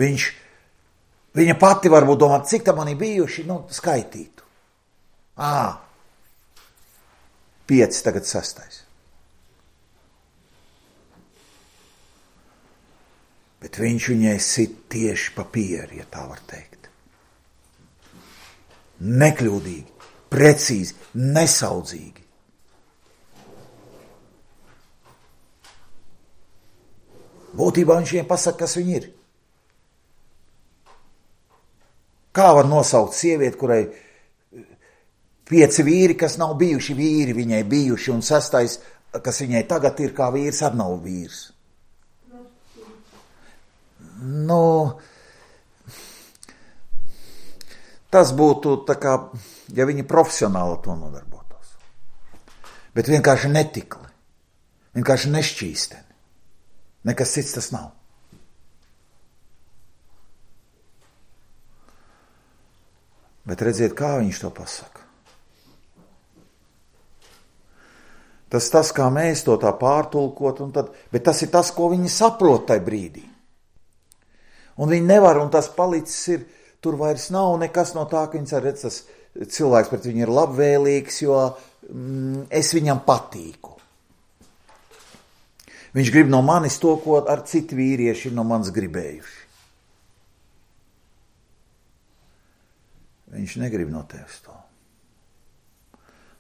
Viņa pati varbūt domā, cik tam man ir bijuši, skaitītu. 5, tagad 6. Bet viņš viņai sit tieši pa pieri, ja tā var teikt. Nekļūdīgi, precīzi, nesaudzīgi. Būtībā viņš viņai pasaka, kas viņa ir. Kā var nosaukt sievieti, kurai 5 vīri, kas nav bijuši vīri, viņai bijuši, un 6, kas viņai tagad ir kā vīrs, arī nav vīrs. Tas būtu tā kā, ja viņi profesionāli to nodarbotos. Bet vienkārši netikli, vienkārši nešķīsteni. Nekas cits tas nav. Bet redziet, kā viņš to pasaka. Tas, kā mēs to tā pārtulkot, bet tas ir tas, ko viņi saprot tajā brīdī. Un viņi nevar, un tas palicis ir, tur vairs nav nekas no tā, ka viņas redz, tas cilvēks pret viņu ir labvēlīgs, jo es viņam patīku. Viņš grib no manis to, ko ar citi vīrieši ir no manis gribējuši. Viņš negrib no tevis to.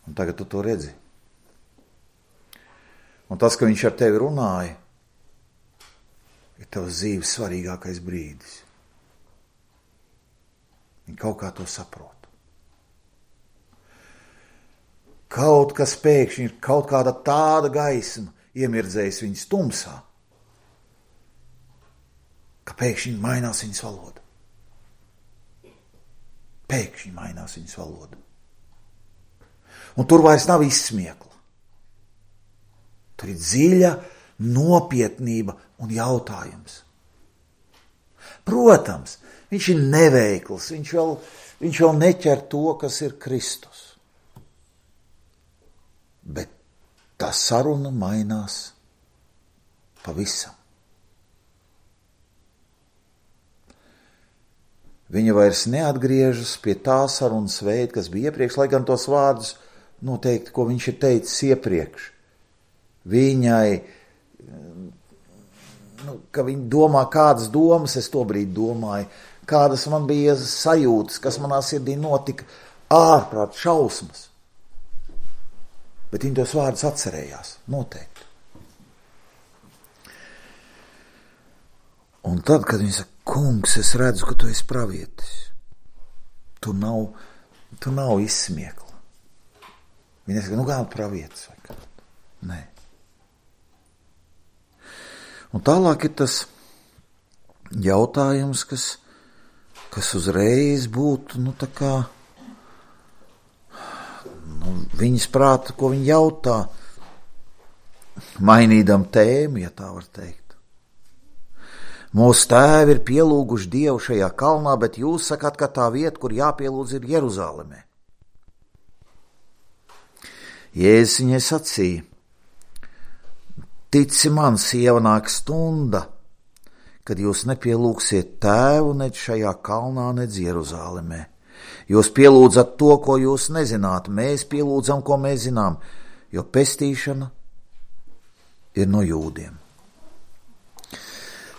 Un tagad tu to redzi. Un tas, ka viņš ar tevi runāja, ir tavs dzīves svarīgākais brīdis. Viņi kaut kā to saprot. Kaut kas pēkšņi ir, kaut kāda tāda gaisma iemirdzējis viņas tumsā, ka pēkšņi mainās viņas valoda. Pēkšņi mainās viņas valoda. Un tur vairs nav izsmiekla. Tur ir dziļa nopietnība un jautājums. Protams, viņš ir neveikls, viņš vēl neķer to, kas ir Kristus. Bet tā saruna mainās Pavisam. Viņa vairs neatgriežas pie tā sarunas veida, kas bija iepriekš, lai gan tos vārdus noteikti, ko viņš ir teicis iepriekš. Viņai, ka viņa domā, kādas domas es tobrīd domāju, kādas man bija sajūtas, kas manā sirdī notika, ārprāt šausmas. Bet viņa tos vārdus atcerējās, noteikti. Un tad, kad viņa saka, kungs, es redzu, ka tu esi pravietis. Tu nav izsmiekla. Viņa saka, kā pravietis vai kā? Nē. Un tālāk ir tas jautājums, kas uzreiz būtu, tā kā, viņas prāta, ko viņa jautā, mainīdam tēmu, ja tā var teikt. Mūsu tēvi ir pielūguši Dievu šajā kalnā, bet jūs sakāt, ka tā vieta, kur jāpielūdz, ir Jeruzalemē. Jēzus viņai sacīja, tici man, sieva, nāk stunda, kad jūs nepielūgsiet tēvu nec šajā kalnā, nec Jeruzalemē. Jūs pielūdzat to, ko jūs nezināt, mēs pielūdzam, ko mēs zinām, jo pestīšana ir no jūdiem.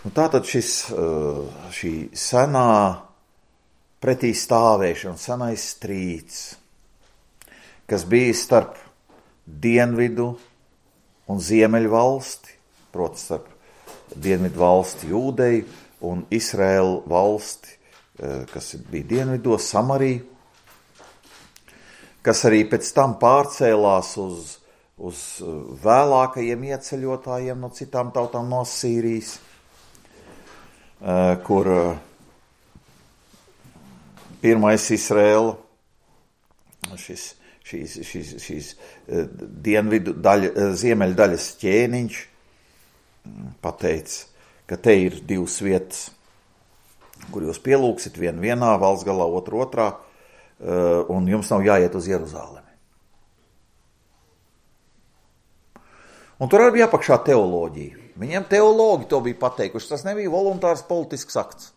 Un tātad šī senā pretī stāvēšana, senais strīds, kas bija starp dienvidu un ziemeļu valsti, proti starp dienvidu valsti Jūdeju un Izraēlu valsti, kas bija dienvidos, Samariju, kas arī pēc tam pārcēlās uz vēlākajiem ieceļotājiem no citām tautām no Sīrijas, kur pirmais Izraēla, šīs dienvidu ziemeļu daļas ķēniņš pateica, ka te ir divas vietas, kur jūs pielūgsit vienu vienā, valsts galā, otru otrā, un jums nav jāiet uz Jeruzalemi. Un tur arī bija apakšā teoloģija. Viņiem teologi to bija pateikuši, tas nebija voluntārs politisks akts.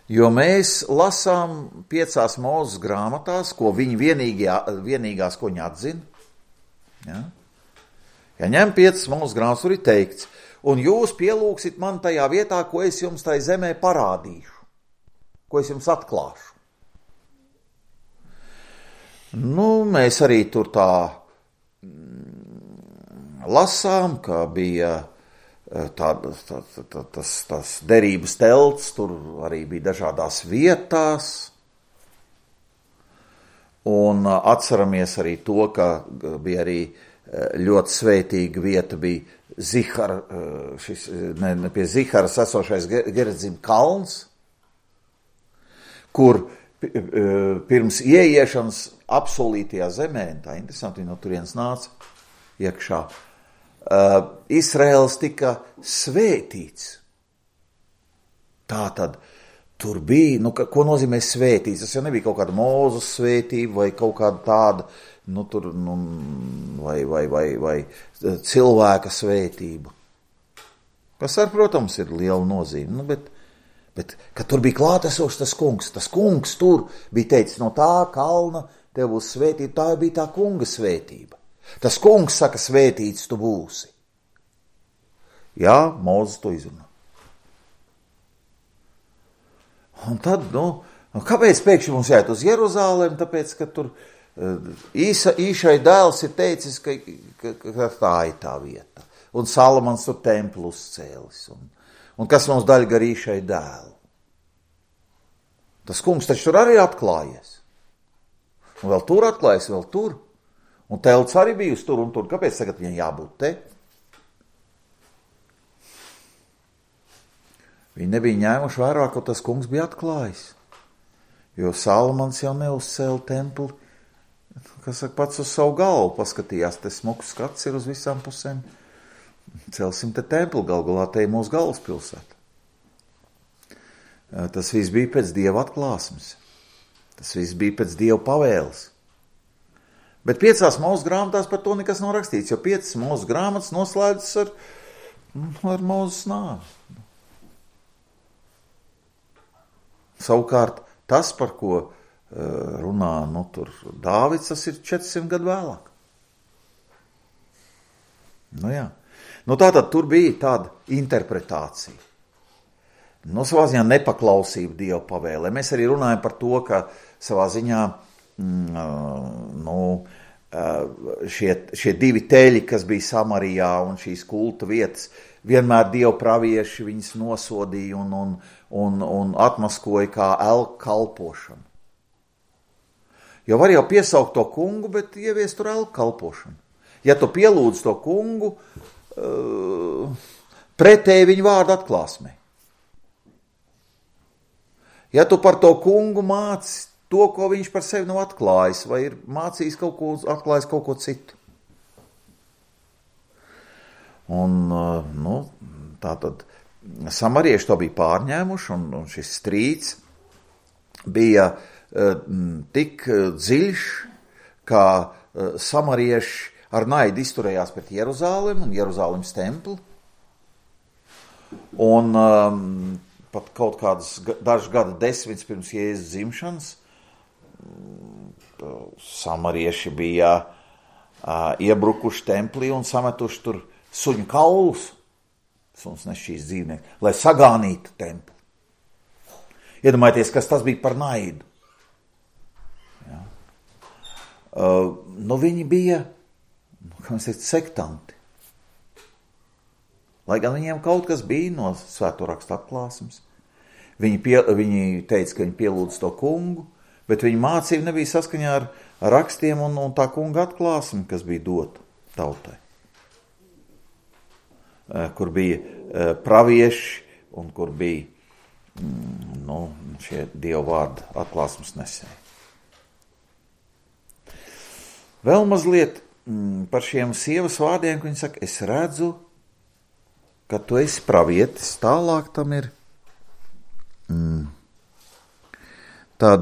Jo mēs lasām 5 Mūzes grāmatās, ko viņi vienīgās, ko viņi atzina. Ja ņem 5 Mūzes grāmatas, tur ir teikts, un jūs pielūgsit man tajā vietā, ko es jums tai zemē parādīšu, ko es jums atklāšu. Mēs arī tur tā lasām, ka bija tas derības telts, tur arī bija dažādās vietās, un atceramies arī to, ka bija arī ļoti svētīga vieta, bija pie Ziharas esošais Gerizim kalns, kur pirms ieiešanas apsolītajā zemē, tā interesanti, no turienes nāca iekšā, Izraēls tika svētīts. Tātad tur bija, ko nozīmē svētīts? Tas jau nebija kaut kāda Mūzes svētība vai kaut kāda tāda, vai cilvēka svētība. Kas ar, protams, ir liela nozīme, bet kad tur bija klātesošs tas kungs tur bija teicis, no tā kalna tev būs svētība, tā bija tā kunga svētība. Tas kungs saka, svētīts tu būsi. Jā, Mūzes to izrunā. Un tad, kāpēc pēkšņi mums jāiet uz Jeruzalemi? Tāpēc, ka tur īšai dēls ir teicis, ka tā ir tā vieta. Un Salamans tur templu uzcēlis. Un kas mums daļa gar īšai dēlu? Tas kungs taču tur arī atklājies. Un vēl tur atklājies, vēl tur. Un telts arī bija uz tur un tur. Kāpēc tagad viņai jābūt te? Viņi nebija ņēmuši vērā, ka tas kungs bija atklājis. Jo Salamans jau neuzcēla templi, kas saka, pats uz savu galvu paskatījās, te smuks skats ir uz visām pusēm. Celsim te templi, galvā te ir mūsu galvaspilsēta. Tas viss bija pēc Dieva atklāsmes. Tas viss bija pēc Dieva pavēles. Bet 5 Mūzes grāmatās par to nekas nav rakstīts, jo 5 Mūzes grāmatas noslēdzas ar Mūzes nāvi. Savukārt, tas, par ko runā tur Dāvids, tas ir 400 gadu vēlāk. Jā. Tātad tur bija tāda interpretācija. Savā ziņā nepaklausība Dieva pavēlē. Mēs arī runājam par to, ka savā ziņā šie 2 teļi, kas bija Samarijā un šīs kulta vietas, vienmēr Dieva pravieši viņus nosodīja un atmaskoja kā elku kalpošanu. Jo var jau piesaukt to kungu, bet ieviest tur elku kalpošanu. Ja tu pielūdz to kungu, pretēji viņu vārdu atklāsmē. Ja tu par to kungu māci to, ko viņš par sevi nav atklājis, vai ir mācījis atklājis kaut ko citu. Un, tātad samarieši to bija pārņēmuši, un šis strīds bija tik dziļš, kā samarieši ar naidu izturējās pret Jeruzālemi un Jeruzālemes templi. Un pat kaut kādas dažu gadu desmitus pirms Jēzus dzimšanas samarieši bija iebrukuši templī un sametuši tur suņu kaulus, suns nešķīs dzīvnieki, lai sagānītu templi. Iedomājieties, kas tas bija par naidu. Ja. Viņi bija, kā mēs teikt, sektanti. Lai gan viņiem kaut kas bija no Svēto rakstu atklāsmes. Viņi teica, ka viņi pielūdz to kungu, bet viņa mācība nebija saskaņā ar rakstiem un tā kunga atklāsmi, kas bija dota tautai. Kur bija pravieši un kur bija šie Dieva vārdu atklāsmes nesēji. Vēl mazliet par šiem sievas vārdiem, ka viņa saka, es redzu, ka tu esi pravietis, tālāk tam ir tad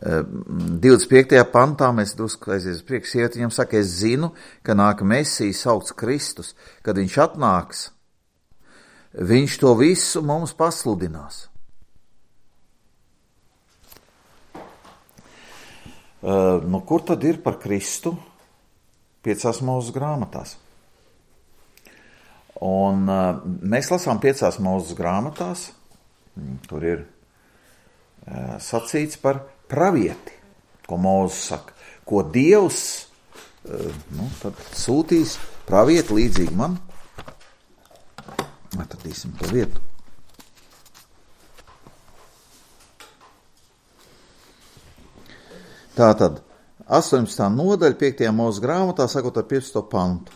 25. pantā mēs drusku aizies priekš sievieti, viņam saka, es zinu, ka nāk Mesijas saukts Kristus, kad viņš atnāks, viņš to visu mums pasludinās. Kur tad ir par Kristu 5 Mūzes grāmatās? Un mēs lasām 5 Mūzes grāmatās, tur ir sacīts par pravieti, ko Mūzes saka, ko Dievs tad sūtīs pravieti līdzīgi man. Atradīsim to vietu. Tātad 18. nodaļa 5. Mūzes grāmatā sakot ar 15. pantu.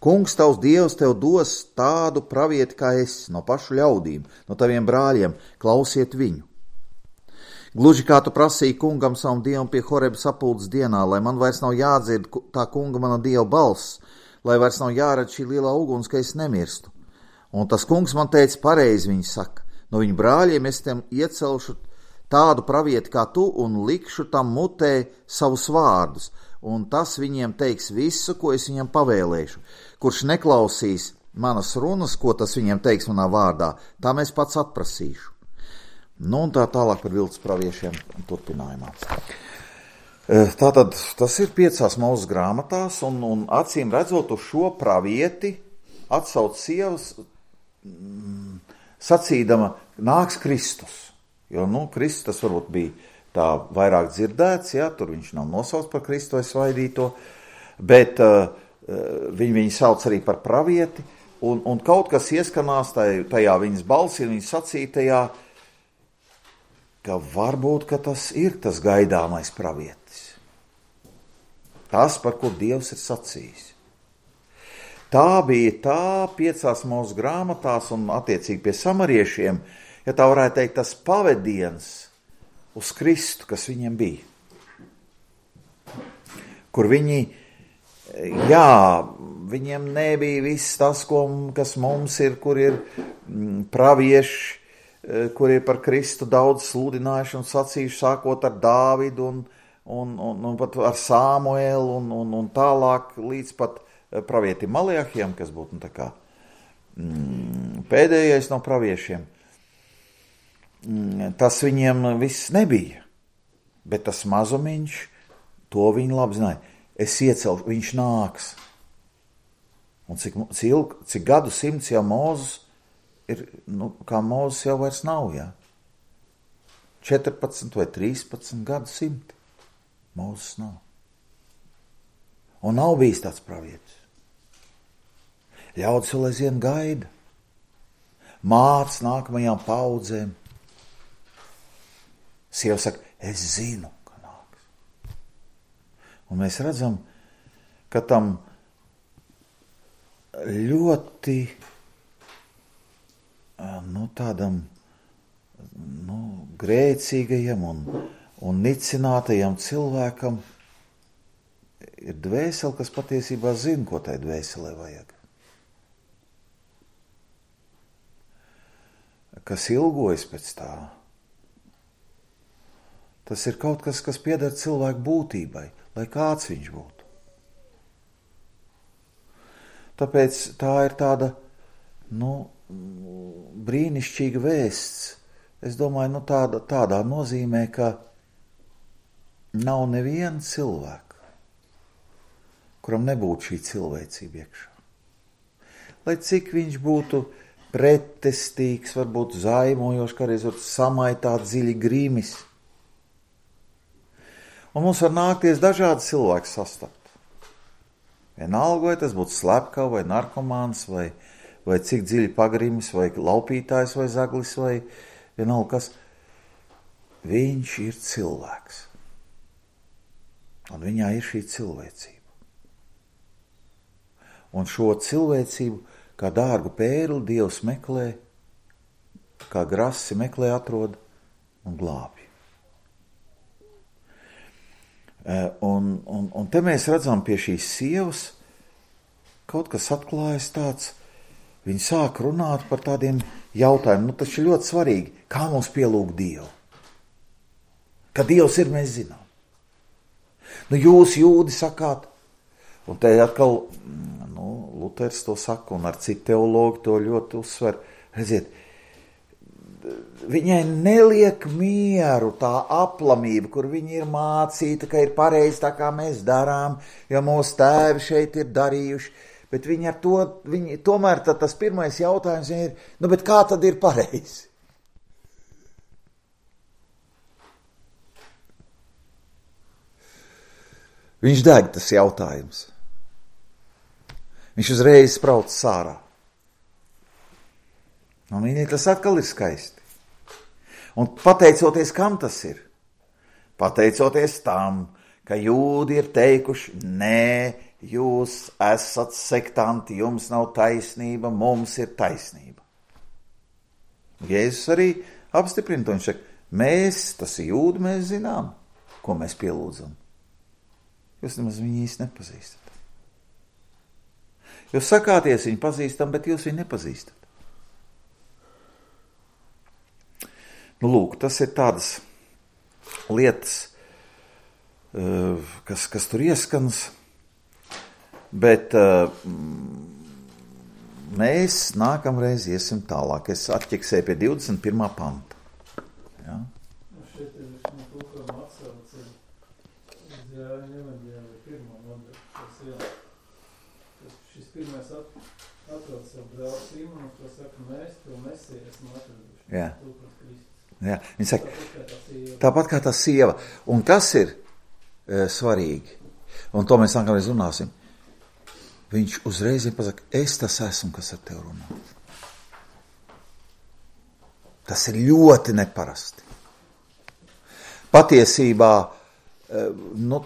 Kungs tavs Dievs tev dos tādu pravieti kā es, no pašu ļaudīm, no taviem brāļiem, klausiet viņu. Gluži kā tu prasīji kungam savam Dievam pie Horeba sapulces dienā, lai man vairs nav jādzird tā kunga mana Dieva balss, lai vairs nav jāredz šī lielā uguns, ka es nemirstu. Un tas kungs man teica pareizi, viņš saka, no viņu brāļiem es tiem iecelšu tādu pravieti kā tu un likšu tam mutē savus vārdus, un tas viņiem teiks visu, ko es viņam pavēlēšu. Kurš neklausīs manas runas, ko tas viņiem teiks manā vārdā, tā es pats atprasīšu. Un tā tālāk par viltus praviešiem turpinājumā. Tātad tas ir 5 Mūzes grāmatās, un acīm redzot uz šo pravieti atsauc sievas sacīdama, nāks Kristus. Jo, Kristus tas varbūt bija tā vairāk dzirdēts, ja, tur viņš nav nosauts par Kristu vai svaidīto, bet viņi sauc arī par pravieti, un kaut kas ieskanās tajā viņas balsī, viņas sacītajā, ka varbūt, ka tas ir tas gaidāmais pravietis. Tas, par ko Dievs ir sacījis. Tā bija tā 5 Mūzes grāmatās un attiecīgi pie samariešiem, ja tā varētu teikt, tas pavediens uz Kristu, kas viņiem bija. Kur viņiem nebija viss tas, kas mums ir, kur ir pravieši, kur ir par Kristu daudz sludinājuši un sacījuši, sākot ar Dāvidu un pat ar Samuelu un tālāk līdz pat pravietim Maleahijam, kas būtu tā kā pēdējais no praviešiem. Tas viņiem viss nebija, bet tas mazumiņš, to viņi labi zināja. Es iecelšu, viņš nāks. Un cik gadu simts jau Mūzes ir, kā Mūzes jau vairs nav, jā. 14 vai 13 gadu simti. Mūzes nav. Un nav bijis tāds pravietis. Ļaudis vēl aizvien gaida. Māc nākamajām paudzēm. Sieva saka, es zinu, ka nāks. Un mēs redzam, ka tam ļoti tādam grēcīgajam un nicinātajam cilvēkam ir dvēsele, kas patiesībā zina, ko tai dvēselē vajag. Kas ilgojas pēc tā. Tas ir kaut kas, kas pieder cilvēku būtībai, lai kāds viņš būtu. Tāpēc tā ir tāda, brīnišķīga vēsts. Es domāju, tādā nozīmē, ka nav neviena cilvēka, kuram nebūtu šī cilvēcība iekšā. Lai cik viņš būtu pretestīgs, varbūt zaimojošs, kādreiz var samaitāt dziļi grīmis. Un mums var nākties dažādi cilvēki sastapt. Vienalga, vai tas būtu slepkava, vai narkomāns, vai cik dziļi pagrimis, vai laupītājs, vai zaglis, vai vienalga kas. Viņš ir cilvēks. Un viņā ir šī cilvēcība. Un šo cilvēcību, kā dārgu pērli, Dievs meklē, kā grasi meklē, atrod un glābj. Un te mēs redzam pie šīs sievas, kaut kas atklājas tāds, viņi sāk runāt par tādiem jautājumiem, tas ir ļoti svarīgi, kā mums pielūgt Dievu. Ka Dievs ir, mēs zinām. Jūs jūdi sakāt, un te atkal, Luters to saka, un ar citu teologu to ļoti uzsver, redziet, viņai neliek mieru tā aplamība, kur viņa ir mācīta, ka ir pareizi tā, kā mēs darām, jo mūsu tēvi šeit ir darījuši, bet viņa ar to, tomēr tas pirmais jautājums ir, bet kā tad ir pareizi? Viņš deg tas jautājums. Viņš uzreiz sprauc sārā. Un viņai tas atkal ir skaisti. Un pateicoties, kam tas ir? Pateicoties tam, ka jūdi ir teikuši, nē, jūs esat sektanti, jums nav taisnība, mums ir taisnība. Jēzus arī apstiprina to, viņš saka, mēs, tas ir jūdi, mēs zinām, ko mēs pielūdzam. Jūs nemaz viņu īsti nepazīstat. Jūs sakāties viņu pazīstam, bet jūs viņu nepazīstat. Lūk, tas ir tādas lietas, kas tur ieskans, bet mēs nākamreiz iesim tālāk. Es atķeksēju pie 21. panta. Ja? Šeit ir to, ko atsauc ir Jāņa evaņģēlija 1. nodaļa. Šis pirmais atrod savu brāli Simonu, ko saka, mēs to Mesiju esam atraduši. Jā. Jā, viņa saka, tāpat kā tā sieva. Un kas ir svarīgi? Un to mēs nākamreiz runāsim. Viņš uzreiz pasaka, es tas esmu, kas ar tevi runā. Tas ir ļoti neparasti. Patiesībā,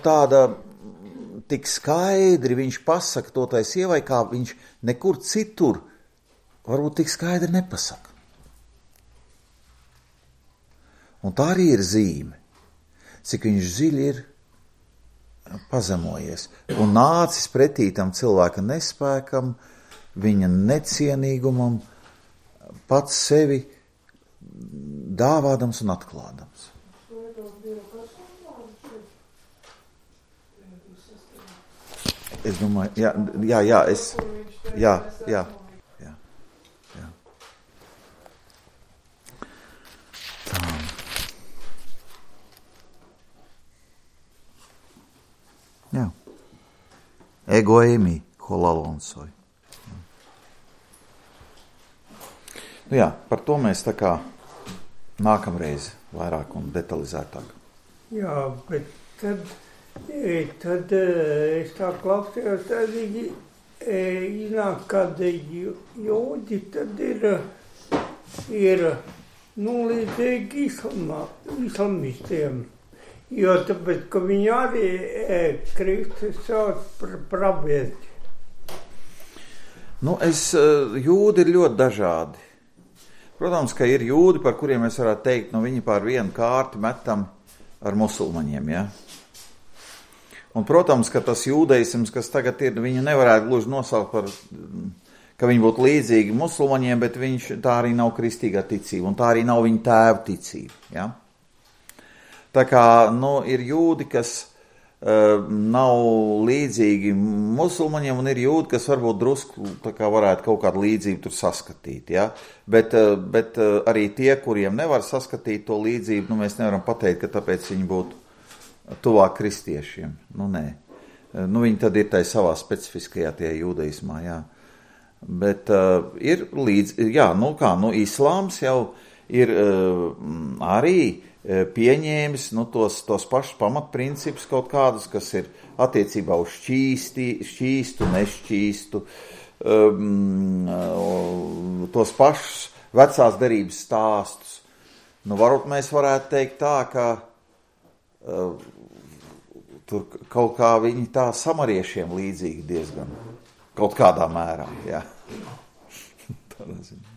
tāda tik skaidri viņš pasaka to tai sievai, kā viņš nekur citur varbūt tik skaidri nepasaka. Un tā arī ir zīme, cik viņš dziļi ir pazemojies un nācis pretī tam cilvēka nespēkam, viņa necienīgumam, pats sevi dāvādams un atklādams. Es domāju, jā, Tā. Jā. Egoēmī, holalonsoj. Nu jā, par to mēs tā kā nākamreiz vairāk un detalizētāk. Jā, bet tad es tā klausījos, tad iznāk, kad jūdi tad ir līdzīgi islamistiem. Jo tāpēc, ka viņi arī Kristus sauc par pravieti. Nu, jūdi ir ļoti dažādi. Protams, ka ir jūdi, par kuriem mēs varētu teikt, viņi pār vienu kārti metam ar musulmaņiem, ja? Un, protams, ka tas jūdeisms, kas tagad ir, viņu nevarētu gluži nosaukt par, ka viņi būtu līdzīgi musulmaņiem, bet tā arī nav kristīgā ticība, un tā arī nav viņa tēva ticība, ja? Tā kā, ir jūdi, kas nav līdzīgi musulmaņiem, un ir jūdi, kas varbūt drusku tā kā varētu kaut kādu līdzību tur saskatīt, ja? Bet arī tie, kuriem nevar saskatīt to līdzību, mēs nevaram pateikt, ka tāpēc viņi būtu tuvāk kristiešiem. Nē. Viņi tad ir tai savā specifiskajā tie jūdaismā, jā. Bet ir islāms jau ir arī pieņēmis tos pašus pamatprincipus kaut kādus, kas ir attiecībā uz šķīstu, nešķīstu, tos pašus vecās derības stāstus. Varbūt mēs varētu teikt tā, ka tur kaut kā viņi tā samariešiem līdzīgi diezgan, kaut kādā mērā, jā. Tādā ziņā.